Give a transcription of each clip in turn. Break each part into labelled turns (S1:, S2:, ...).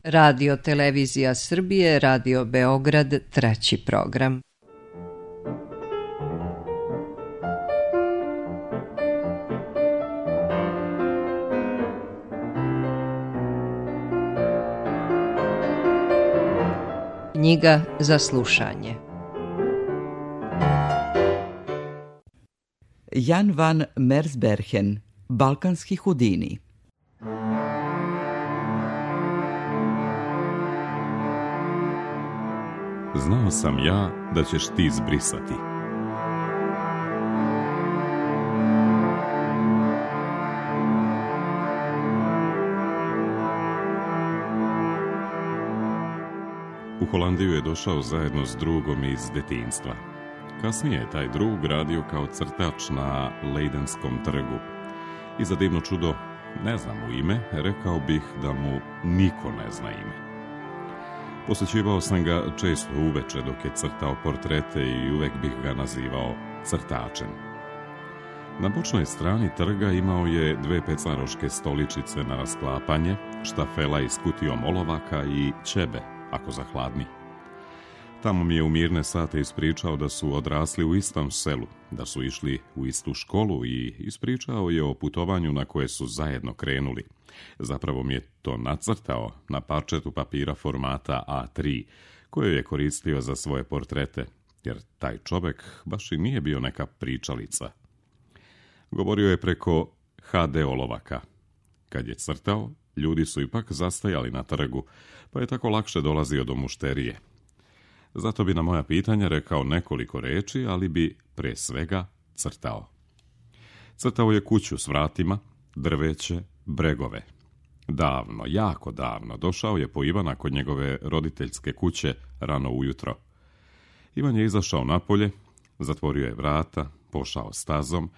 S1: Radio Televizija Srbije, Radio Beograd, treći program. Knjiga za slušanje.
S2: Jan van Mersbergen, Balkanski Houdini.
S3: Znao sam ja da ćeš ti zbrisati. U Holandiju je došao zajedno s drugom iz detinjstva. Kasnije je taj drug radio kao crtač na Leidenskom trgu. I za divno čudo, ne znam mu ime, rekao bih da mu niko ne zna ime. Posjećivao sam ga često uveče dok je crtao portrete i uvek bih ga nazivao crtačem. Na bočnoj strani trga imao je 2 pecaroške stoličice na rasklapanje, štafela iz kutijom olovaka i ćebe, ako zahladni. Tamo mi je u mirne sate ispričao da su odrasli u istom selu, da su išli u istu školu i ispričao je o putovanju na koje su zajedno krenuli. Zapravo mi je to nacrtao na parčetu papira formata A3, koje je koristio za svoje portrete, jer taj čovek baš i nije bio neka pričalica. Govorio je preko HD olovaka. Kad je crtao, ljudi su ipak zastajali na trgu, pa je tako lakše dolazio do mušterije. Zato bi na moja pitanja rekao nekoliko reči, ali bi pre svega crtao. Crtao je kuću s vratima, drveće, bregove. Davno, jako davno, došao je po Ivana kod njegove roditeljske kuće rano ujutro. Ivan je izašao napolje, zatvorio je vrata, pošao stazom,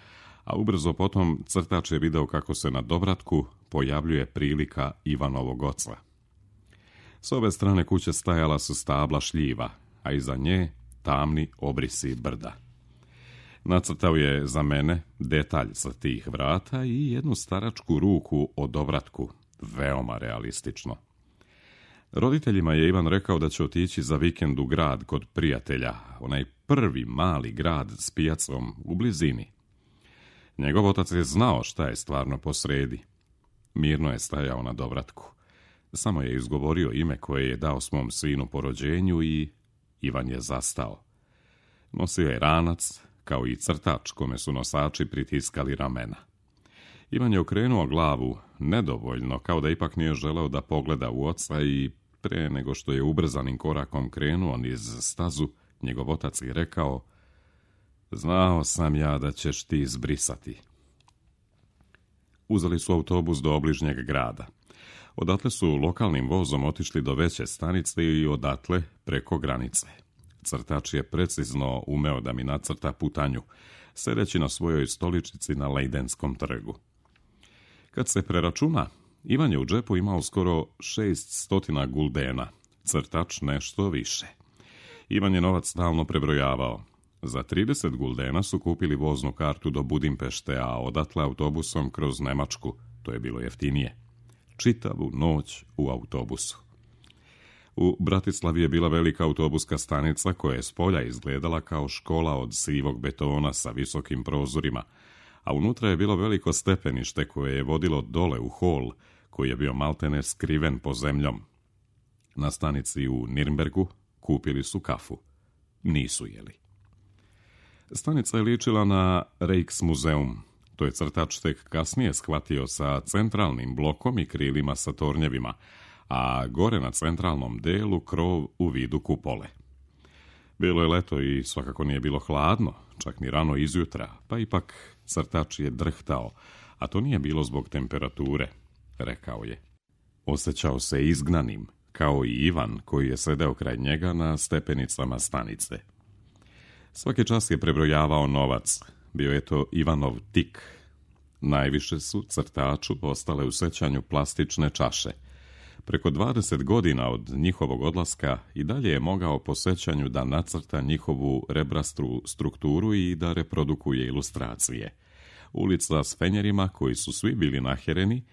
S3: a ubrzo potom crtač je video kako se na dovratku pojavljuje prilika Ivanovog oca. S ove strane kuće stajala su stabla šljiva, a iza nje tamni obrisi brda. Nacrtao je za mene detalj sa tih vrata i jednu staračku ruku o dovratku, veoma realistično. Roditeljima je Ivan rekao da će otići za vikend u grad kod prijatelja, onaj prvi mali grad s pijacom u blizini. Njegov otac je znao šta je stvarno posredi. Mirno je stajao na dovratku. Samo je izgovorio ime koje je dao svom sinu po rođenju i Ivan je zastao. Nosio je ranac, kao i crtač kome su nosači pritiskali ramena. Ivan je okrenuo glavu nedovoljno, kao da ipak nije želeo da pogleda u oca i pre nego što je ubrzanim korakom krenuo niz stazu, njegov otac je rekao: znao sam ja da ćeš ti zbrisati. Uzeli su autobus do obližnjeg grada. Odatle su lokalnim vozom otišli do veće stanice i odatle preko granice. Crtač je precizno umeo da mi nacrta putanju, sedeći na svojoj stoličici na Leidenskom trgu. Kad se preračuna, Ivan je u džepu imao skoro 600 guldena, crtač nešto više. Ivan je novac stalno prebrojavao. Za 30 guldena su kupili voznu kartu do Budimpešte, a odatle autobusom kroz Nemačku, to je bilo jeftinije. Čitavu noć u autobusu. U Bratislavi je bila velika autobuska stanica koja je s polja izgledala kao škola od sivog betona sa visokim prozorima, a unutra je bilo veliko stepenište koje je vodilo dole u hol, koji je bio maltene skriven po zemljom. Na stanici u Nirnbergu kupili su kafu. Nisu jeli. Stanica je ličila na Rijksmuzeum. To je crtač tek kasnije shvatio sa centralnim blokom i krilima sa tornjevima, a gore na centralnom delu krov u vidu kupole. Bilo je leto i svakako nije bilo hladno, čak ni rano izjutra, pa ipak crtač je drhtao, a to nije bilo zbog temperature, rekao je. Osjećao se izgnanim, kao i Ivan koji je sedeo kraj njega na stepenicama stanice. Svaki čas je prebrojavao novac. Bio je to Ivanov tik. Najviše su crtaču ostale u sećanju plastične čaše. Preko 20 godina od njihovog odlaska i dalje je mogao po sećanju da nacrta njihovu rebrastru strukturu i da reprodukuje ilustracije. Ulica s fenjerima koji su svi bili nahereni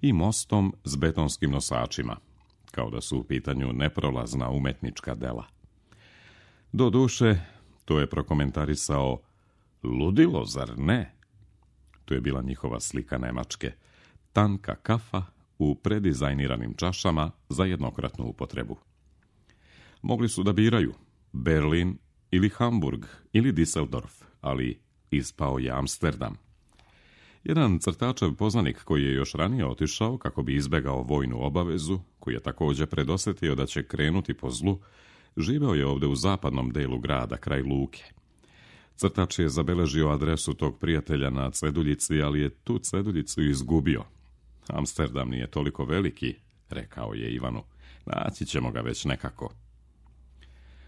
S3: i mostom s betonskim nosačima. kao da su u pitanju neprolazna umetnička dela. Do duše, to je prokomentarisao ludilo, zar ne? To je bila njihova slika Nemačke, tanka kafa u predizajniranim čašama za jednokratnu upotrebu. Mogli su da biraju Berlin ili Hamburg ili Düsseldorf, ali ispao je Amsterdam. Jedan crtačev poznanik koji je još ranije otišao kako bi izbegao vojnu obavezu, koji je također predosjetio da će krenuti po zlu, živeo je ovdje u zapadnom delu grada, kraj luke. Crtač je zabeležio adresu tog prijatelja na ceduljici, ali je tu ceduljicu izgubio. Amsterdam nije toliko veliki, rekao je Ivanu. Naći ćemo ga već nekako.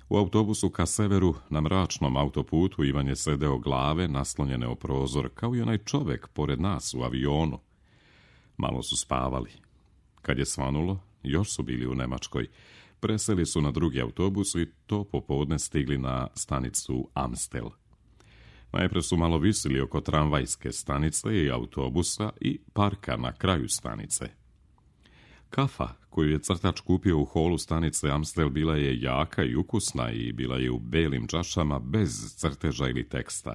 S3: U autobusu ka severu, na mračnom autoputu, Ivan je sedeo glave naslonjene o prozor, kao i onaj čovjek pored nas u avionu. Malo su spavali. Kad je svanulo, još su bili u Nemačkoj. Preseli su na drugi autobus i to popodne stigli na stanicu Amstel. Najprije su malo visili oko tramvajske stanice i autobusa i parka na kraju stanice. Kafa koju je crtač kupio u holu stanice Amstel bila je jaka i ukusna i bila je u belim čašama bez crteža ili teksta.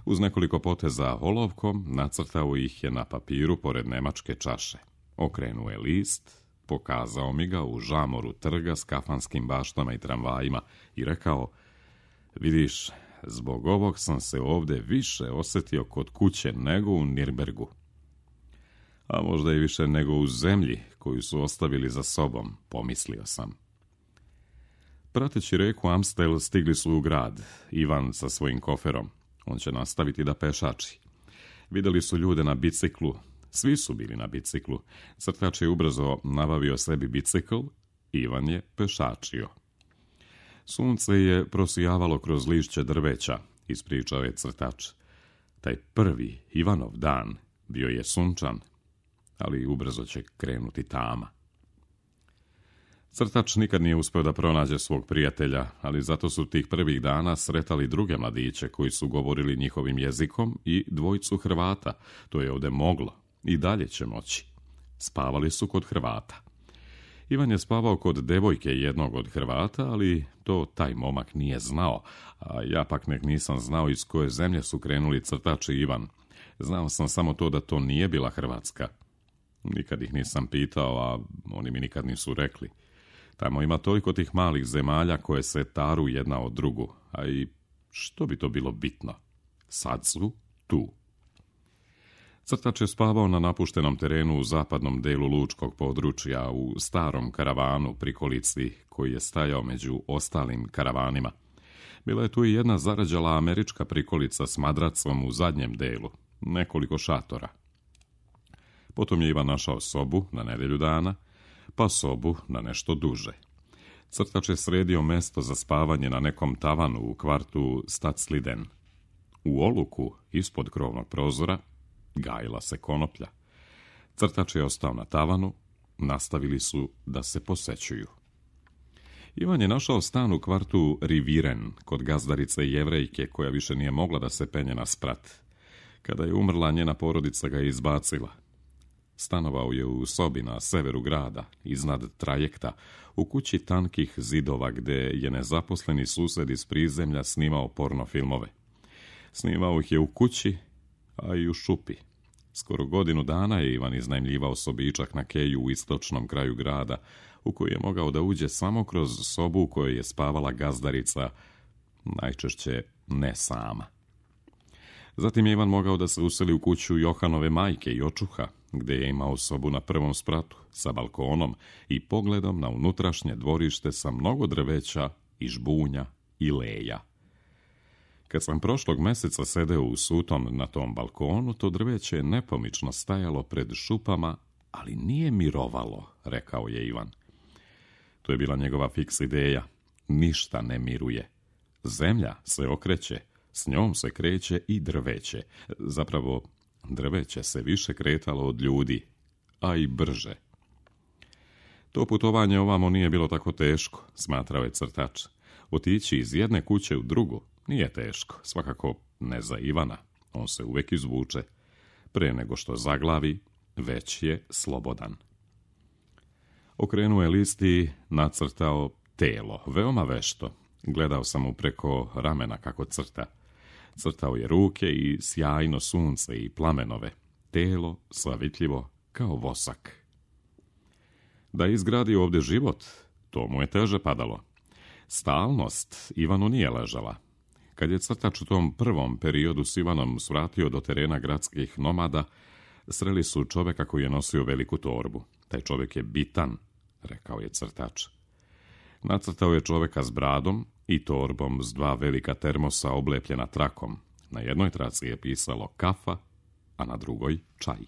S3: Uz nekoliko poteza olovkom nacrtao ih je na papiru pored nemačke čaše. Okrenuo je list, pokazao mi ga u žamoru trga s kafanskim baštama i tramvajima i rekao: vidiš, zbog ovog sam se ovdje više osjetio kod kuće nego u Nirnbergu. A možda i više nego u zemlji koju su ostavili za sobom, pomislio sam. Prateći reku Amstel stigli su u grad, Ivan sa svojim koferom. On će nastaviti da pešači. Vidjeli su ljude na biciklu, svi su bili na biciklu. Crtač je ubrzo nabavio sebi bicikl, Ivan je pešačio. Sunce je prosijavalo kroz lišće drveća, ispričao je crtač. Taj prvi Ivanov dan bio je sunčan, ali ubrzo će krenuti tama. Crtač nikad nije uspio da pronađe svog prijatelja, ali zato su tih prvih dana sretali druge mladiće koji su govorili njihovim jezikom i dvojicu Hrvata. To je ovdje moglo i dalje će moći. Spavali su kod Hrvata. Ivan je spavao kod devojke jednog od Hrvata, ali to taj momak nije znao, a ja pak nisam znao iz koje zemlje su krenuli crtač i Ivan. Znao sam samo to da to nije bila Hrvatska. Nikad ih nisam pitao, a oni mi nikad nisu rekli. Tamo ima toliko tih malih zemalja koje se taru jedna od drugu, a i što bi to bilo bitno? Sad su tu. Crtač je spavao na napuštenom terenu u zapadnom delu lučkog područja, u starom karavanu prikolici koji je stajao među ostalim karavanima. Bila je tu i jedna zarađala američka prikolica s madracom u zadnjem delu, nekoliko šatora. Potom je Ivan našao sobu na nedjelju dana, pa sobu na nešto duže. Crtač je sredio mesto za spavanje na nekom tavanu u kvartu Stadsliden. U oluku, ispod krovnog prozora, gajila se konoplja. Crtač je ostao na tavanu, nastavili su da se posećuju. Ivan je našao stan u kvartu Riviren, kod gazdarice Jevrejke, koja više nije mogla da se penje na sprat. Kada je umrla, njena porodica ga je izbacila. Stanovao je u sobi na severu grada, iznad trajekta, u kući tankih zidova, gde je nezaposleni sused iz prizemlja snimao porno filmove. Snimao ih je u kući, a i u šupi. Skoro godinu dana je Ivan iznajmljivao sobičak na keju u istočnom kraju grada, u koji je mogao da uđe samo kroz sobu u kojoj je spavala gazdarica, najčešće ne sama. Zatim je Ivan mogao da se useli u kuću Johanove majke i očuha, gde je imao sobu na prvom spratu, sa balkonom i pogledom na unutrašnje dvorište sa mnogo drveća i žbunja i leja. Kad sam prošlog meseca sedeo u sutom na tom balkonu, to drveće je nepomično stajalo pred šupama, ali nije mirovalo, rekao je Ivan. To je bila njegova fiks ideja. Ništa ne miruje. Zemlja se okreće, s njom se kreće i drveće. Zapravo, drveće se više kretalo od ljudi, a i brže. To putovanje ovamo nije bilo tako teško, smatrao je crtač. Otići iz jedne kuće u drugu nije teško, svakako ne za Ivana. On se uvijek izvuče. Pre nego što zaglavi, već je slobodan. Okrenuo je list i nacrtao telo, veoma vešto. Gledao sam mu preko ramena kako crta. Crtao je ruke i sjajno sunce i plamenove. Telo slavitljivo kao vosak. Da je izgradio ovdje život, to mu je teže padalo. Stalnost Ivanu nije ležala. Kad je crtač u tom prvom periodu s Ivanom svratio do terena gradskih nomada, sreli su čoveka koji je nosio veliku torbu. Taj čovjek je bitan, rekao je crtač. Nacrtao je čoveka s bradom i torbom s 2 velika termosa oblepljena trakom. Na jednoj traci je pisalo kafa, a na drugoj čaj.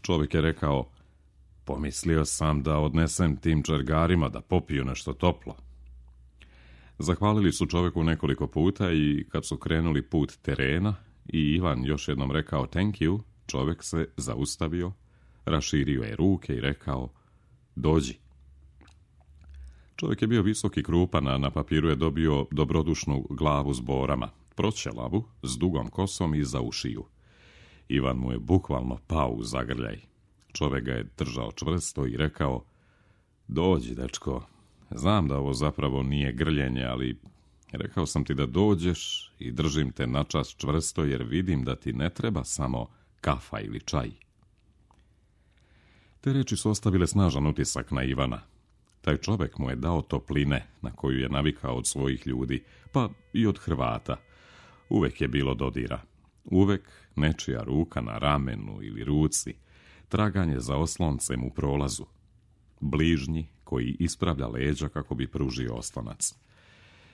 S3: Čovjek je rekao, pomislio sam da odnesem tim čergarima da popiju nešto toplo. Zahvalili su čovjeku nekoliko puta i kad su krenuli put terena i Ivan još jednom rekao thank you, čovjek se zaustavio, raširio je ruke i rekao, dođi. Čovjek je bio visok i krupan, a na papiru je dobio dobrodušnu glavu s borama, proćelavu, s dugom kosom i za ušiju. Ivan mu je bukvalno pao u zagrljaj. Čovjek ga je držao čvrsto i rekao, dođi, dečko, znam da ovo zapravo nije grljenje, ali rekao sam ti da dođeš i držim te načas čvrsto jer vidim da ti ne treba samo kafa ili čaj. Te reči su ostavile snažan utisak na Ivana. Taj čovjek mu je dao topline na koju je navikao od svojih ljudi, pa i od Hrvata. Uvek je bilo dodira. Uvek nečija ruka na ramenu ili ruci, traganje za osloncem u prolazu. Bližnji koji ispravlja leđa kako bi pružio oslonac.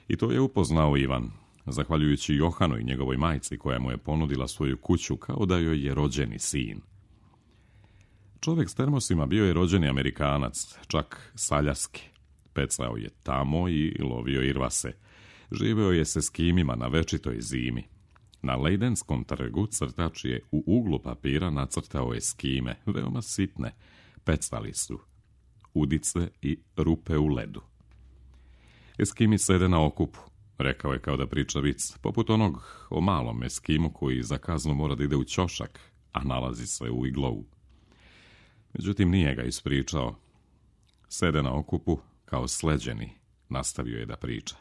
S3: I to je upoznao Ivan, zahvaljujući Johanu i njegovoj majci koja mu je ponudila svoju kuću kao da joj je rođeni sin. Čovjek s termosima bio je rođeni Amerikanac, čak Saljaski. Pecao je tamo i lovio irvase. Živeo je se s kimima na večitoj zimi. Na Lejdenskom trgu crtač je u uglu papira nacrtao eskime, veoma sitne. Pecali su udice i rupe u ledu. Eskimi sede na okupu, rekao je kao da priča vic, poput onog o malom eskimu koji za kaznu mora da ide u ćošak, a nalazi se u iglovu. Međutim, nije ga ispričao. Sede na okupu kao sleđeni, nastavio je da priča.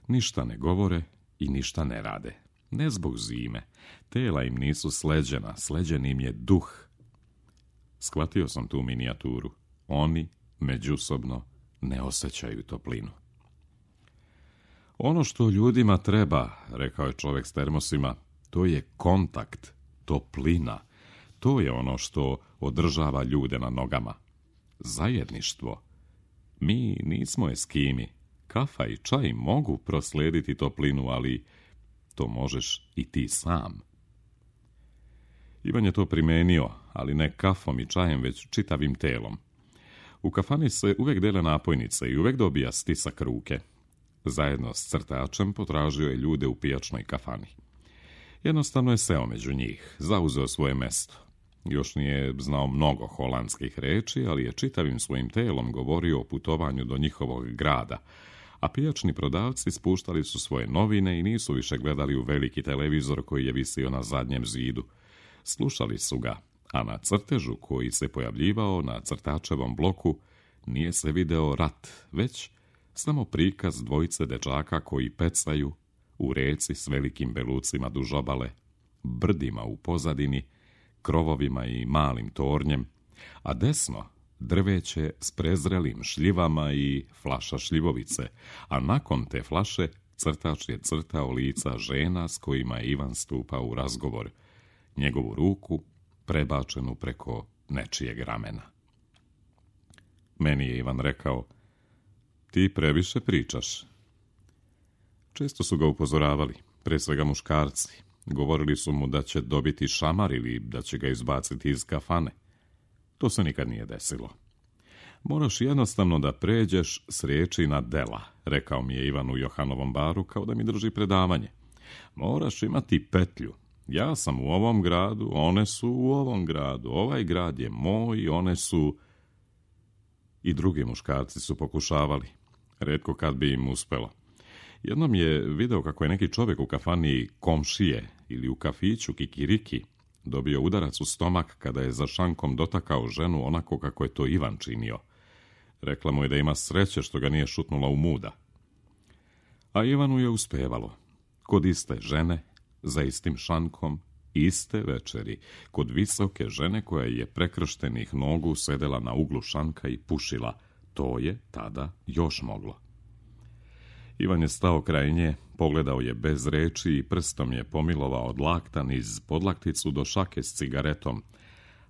S3: Ništa ne govore i ništa ne rade. Ne zbog zime. Tela im nisu sleđena, sleđen im je duh. Shvatio sam tu minijaturu. Oni međusobno ne osjećaju toplinu. Ono što ljudima treba, rekao je čovjek s termosima, to je kontakt, toplina. To je ono što održava ljude na nogama. Zajedništvo. Mi nismo eskimi. Kafa i čaj mogu proslijediti toplinu, ali to možeš i ti sam. Ivan je to primenio, ali ne kafom i čajem, već čitavim telom. U kafani se uvijek dele napojnice i uvijek dobija stisak ruke. Zajedno s crtačem potražio je ljude u pijačnoj kafani. Jednostavno je seo među njih, zauzeo svoje mesto. Još nije znao mnogo holandskih reči, ali je čitavim svojim telom govorio o putovanju do njihovog grada, a pijačni prodavci spuštali su svoje novine i nisu više gledali u veliki televizor koji je visio na zadnjem zidu. Slušali su ga, a na crtežu koji se pojavljivao na crtačevom bloku nije se video rat, već samo prikaz dvojice dečaka koji pecaju u reci s velikim belucima duž obale, brdima u pozadini, krovovima i malim tornjem, a desno drveće s prezrelim šljivama i flaša šljivovice, a nakon te flaše crtač je crtao lica žena s kojima je Ivan stupao u razgovor, njegovu ruku prebačenu preko nečijeg ramena. Meni je Ivan rekao, ti previše pričaš. Često su ga upozoravali, pre svega muškarci. Govorili su mu da će dobiti šamar ili da će ga izbaciti iz kafane. To se nikad nije desilo. Moraš jednostavno da pređeš s riječi na dela, rekao mi je Ivan u Johanovom baru kao da mi drži predavanje. Moraš imati petlju. Ja sam u ovom gradu, one su u ovom gradu, ovaj grad je moj, one su... I drugi muškarci su pokušavali. Retko kad bi im uspelo. Jednom je video kako je neki čovjek u kafani Komšije ili u kafiću Kikiriki dobio udarac u stomak kada je za šankom dotakao ženu onako kako je to Ivan činio. Rekla mu je da ima sreće što ga nije šutnula u muda. A Ivanu je uspevalo. Kod iste žene, za istim šankom, iste večeri, kod visoke žene koja je prekrštenih nogu sedela na uglu šanka i pušila. To je tada još moglo. Ivan je stao kraj nje, pogledao je bez reči i prstom je pomilovao od lakta niz podlakticu do šake s cigaretom,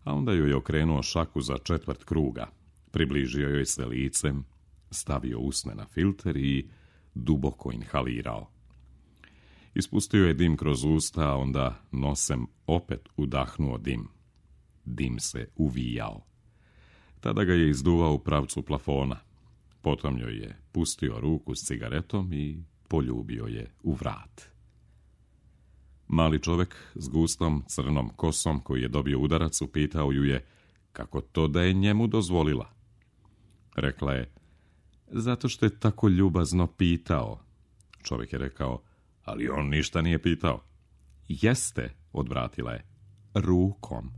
S3: a onda joj je okrenuo šaku za 1/4 kruga, približio joj se licem, stavio usne na filter i duboko inhalirao. Ispustio je dim kroz usta, a onda nosem opet udahnuo dim. Dim se uvijao. Tada ga je izduvao u pravcu plafona. Potom joj je pustio ruku s cigaretom i poljubio je u vrat. Mali čovjek s gustom crnom kosom koji je dobio udarac upitao ju je kako to da je njemu dozvolila. Rekla je, zato što je tako ljubazno pitao. Čovjek je rekao, ali on ništa nije pitao. Jeste, odvratila je, rukom.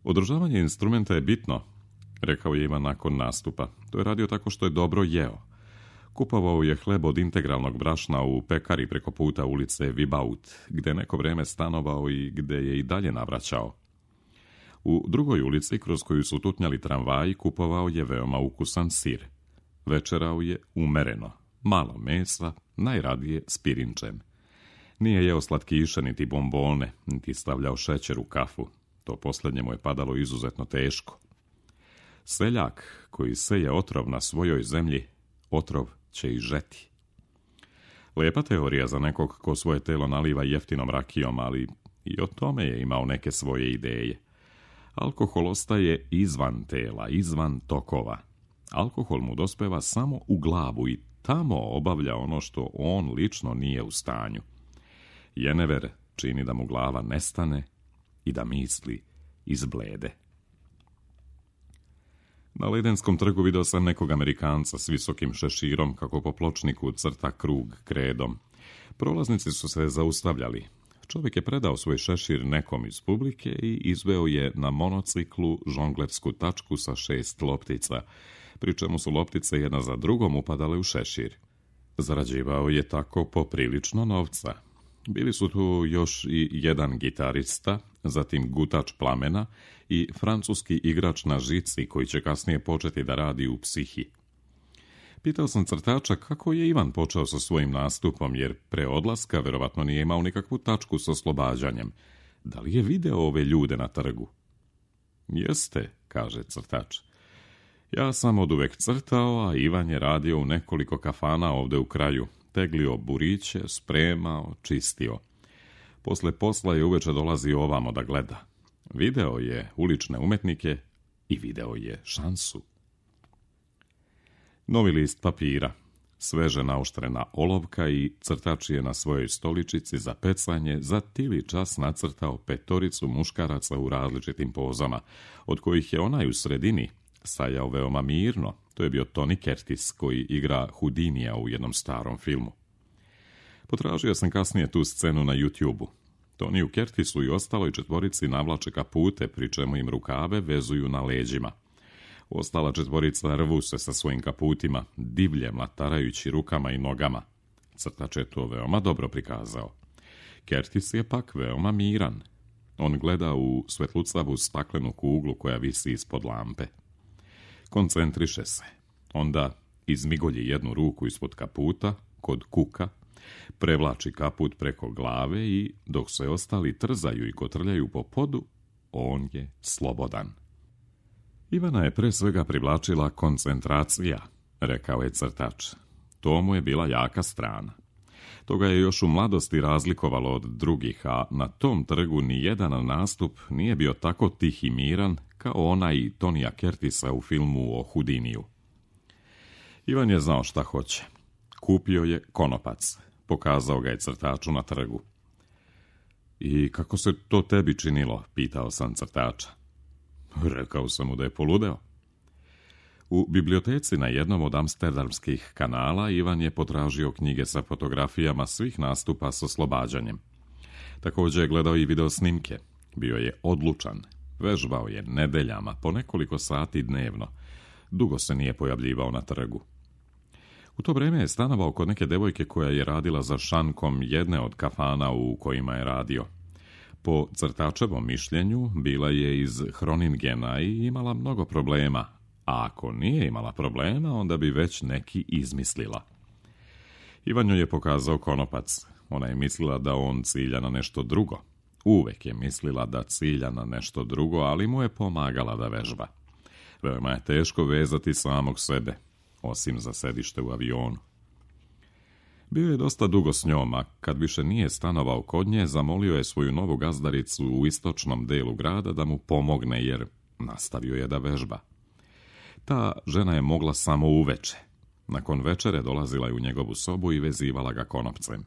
S3: Održavanje instrumenta je bitno, rekao je Ivan nakon nastupa. To je radio tako što je dobro jeo. Kupovao je hleb od integralnog brašna u pekari preko puta ulice Vibaut, gde neko vrijeme stanovao i gde je i dalje navraćao. U drugoj ulici, kroz koju su tutnjali tramvaji, kupovao je veoma ukusan sir. Večerao je umereno, malo mesa, najradije s pirinčem. Nije jeo slatkiše, niti bombone, niti stavljao šećer u kafu. To posljednje mu je padalo izuzetno teško. Seljak koji seje otrov na svojoj zemlji, otrov će i žeti. Lijepa teorija za nekog ko svoje telo naliva jeftinom rakijom, ali i o tome je imao neke svoje ideje. Alkohol ostaje izvan tela, izvan tokova. Alkohol mu dospeva samo u glavu i tamo obavlja ono što on lično nije u stanju. Jenever čini da mu glava nestane i da misli izblede. Na Ledenskom trgu vidio sam nekog Amerikanca s visokim šeširom kako po pločniku crta krug kredom. Prolaznici su se zaustavljali. Čovjek je predao svoj šešir nekom iz publike i izveo je na monociklu žonglersku tačku sa 6 loptica, pri čemu su loptice jedna za drugom upadale u šešir. Zarađivao je tako poprilično novca. Bili su tu još i jedan gitarista, zatim gutač plamena i francuski igrač na žici koji će kasnije početi da radi u Psihi. Pitao sam crtača kako je Ivan počeo sa svojim nastupom, jer pre odlaska verovatno nije imao nikakvu tačku sa oslobađanjem. Da li je video ove ljude na trgu? Jeste, kaže crtač. Ja sam oduvek crtao, a Ivan je radio u nekoliko kafana ovde u kraju. Teglio buriće, spremao, čistio. Posle posla je uveče dolazio ovamo da gleda. Video je ulične umetnike i video je šansu. Novi list papira, sveže naoštrena olovka i crtač je na svojoj stoličici za pecanje za tili čas nacrtao 5 muškaraca u različitim pozama, od kojih je onaj u sredini stajao veoma mirno. To je bio Tony Curtis koji igra Houdinija u jednom starom filmu. Potražio sam kasnije tu scenu na YouTube-u. Tony u Curtisu i ostaloj 4 navlače kapute, pri čemu im rukave vezuju na leđima. Ostala 4 rvu se sa svojim kaputima, divlje mlatarajući rukama i nogama. Crtač je to veoma dobro prikazao. Curtis je pak veoma miran. On gleda u svetlucavu staklenu kuglu koja visi ispod lampe. Koncentriše se. Onda izmigolji jednu ruku ispod kaputa, kod kuka, prevlači kaput preko glave i, dok se ostali trzaju i kotrljaju po podu, on je slobodan. Ivana je pre svega privlačila koncentracija, rekao je crtač. To mu je bila jaka strana. To ga je još u mladosti razlikovalo od drugih, a na tom trgu ni jedan nastup nije bio tako tih i miran kao onaj Tonija Curtisa u filmu o Houdiniju. Ivan je znao šta hoće. Kupio je konopac. Pokazao ga je crtaču na trgu. I kako se to tebi činilo, pitao sam crtača. Rekao sam mu da je poludeo. U biblioteci na jednom od amsterdamskih kanala Ivan je potražio knjige sa fotografijama svih nastupa s oslobađanjem. Također je gledao i video snimke. Bio je odlučan. Vežbao je nedeljama, po nekoliko sati dnevno. Dugo se nije pojavljivao na trgu. U to vrijeme je stanovao kod neke devojke koja je radila za šankom jedne od kafana u kojima je radio. Po crtačevom mišljenju, bila je iz Hroningena i imala mnogo problema, a ako nije imala problema, onda bi već neki izmislila. Ivan joj je pokazao konopac. Ona je mislila da on cilja na nešto drugo. Uvek je mislila da cilja na nešto drugo, ali mu je pomagala da vežba. Veoma je teško vezati samog sebe, osim za sedište u avionu. Bio je dosta dugo s njom, a kad više nije stanovao kod nje, zamolio je svoju novu gazdaricu u istočnom delu grada da mu pomogne, jer nastavio je da vežba. Ta žena je mogla samo uveče. Nakon večere dolazila je u njegovu sobu i vezivala ga konopcem.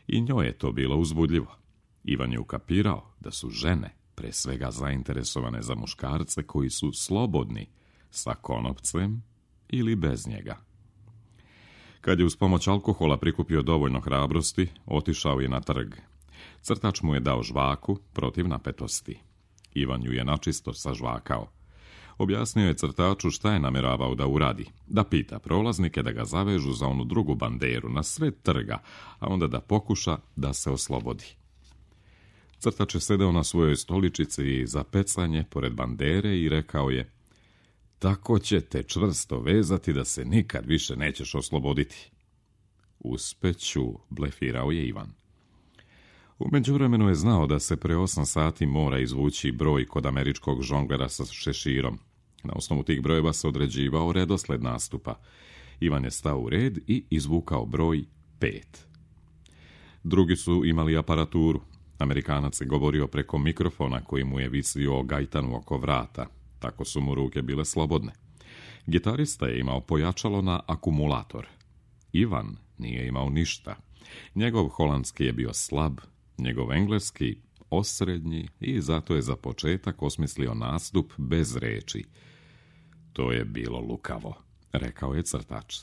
S3: I njoj je to bilo uzbudljivo. Ivan je ukapirao da su žene pre svega zainteresovane za muškarce koji su slobodni sa konopcem ili bez njega. Kad je uz pomoć alkohola prikupio dovoljno hrabrosti, otišao je na trg. Crtač mu je dao žvaku protiv napetosti. Ivan ju je načisto sažvakao. Objasnio je crtaču šta je namjeravao da uradi, da pita prolaznike da ga zavežu za onu drugu banderu na sred trga, a onda da pokuša da se oslobodi. Crtač je sedeo na svojoj stoličici za pecanje pored bandere i rekao je: tako će te čvrsto vezati da se nikad više nećeš osloboditi. Uspeću, blefirao je Ivan. U međuvremenu je znao da se pre 8 sati mora izvući broj kod američkog žonglera sa šeširom. Na osnovu tih brojeva se određivao redosled nastupa. Ivan je stao u red i izvukao broj 5. Drugi su imali aparaturu. Amerikanac je govorio preko mikrofona koji mu je visio gajtanu oko vrata. Tako su mu ruke bile slobodne. Gitarista je imao pojačalo na akumulator. Ivan nije imao ništa. Njegov holandski je bio slab, njegov engleski osrednji i zato je za početak osmislio nastup bez reči. To je bilo lukavo, rekao je crtač.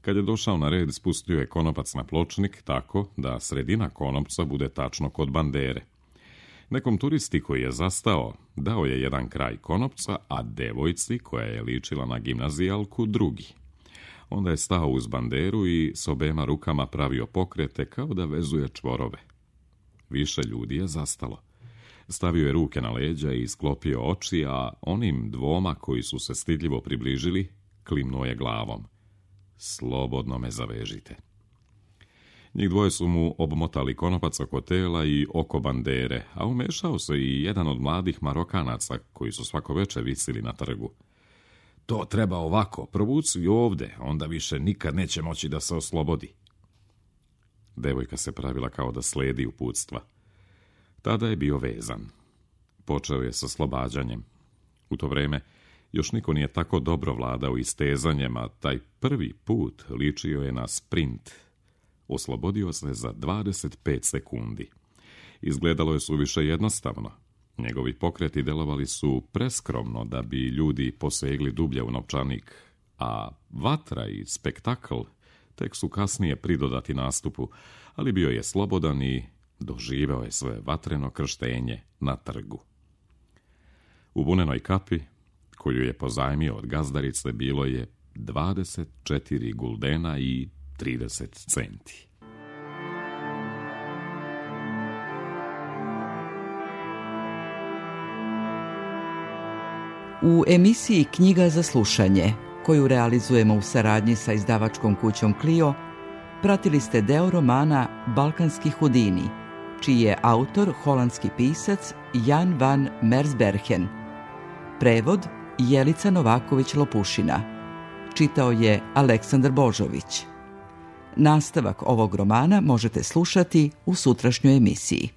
S3: Kad je došao na red, spustio je konopac na pločnik tako da sredina konopca bude tačno kod bandere. Nekom turisti koji je zastao, dao je jedan kraj konopca, a devojci, koja je ličila na gimnazijalku, drugi. Onda je stao uz banderu i s obema rukama pravio pokrete kao da vezuje čvorove. Više ljudi je zastalo. Stavio je ruke na leđa i sklopio oči, a onim dvoma koji su se stidljivo približili, klimnuo je glavom. Slobodno me zavežite. Njih dvoje su mu obmotali konopac oko tela i oko bandere, a umešao se i jedan od mladih Marokanaca koji su svako večer visili na trgu. To treba ovako, provuci ovde, onda više nikad neće moći da se oslobodi. Devojka se pravila kao da sledi uputstva. Tada je bio vezan. Počeo je sa oslobađanjem. U to vrijeme još niko nije tako dobro vladao istezanjem, a taj prvi put ličio je na sprint. Oslobodio se za 25 sekundi. Izgledalo je suviše jednostavno. Njegovi pokreti delovali su preskromno da bi ljudi posegli dublje u novčanik, a vatra i spektakl tek su kasnije pridodati nastupu, ali bio je slobodan i doživeo je svoje vatreno krštenje na trgu. U vunenoj kapi, koju je pozajmio od gazdarice, bilo je 24 guldena i 30 centi.
S2: U emisiji Knjiga za slušanje, koju realizujemo u saradnji sa izdavačkom kućom Clio, pratili ste deo romana Balkanski Hudini, čiji je autor holandski pisac Jan van Mersbergen. Prevod Jelica Novaković-Lopušina. Čitao je Aleksandar Božović. Nastavak ovog romana možete slušati u sutrašnjoj emisiji.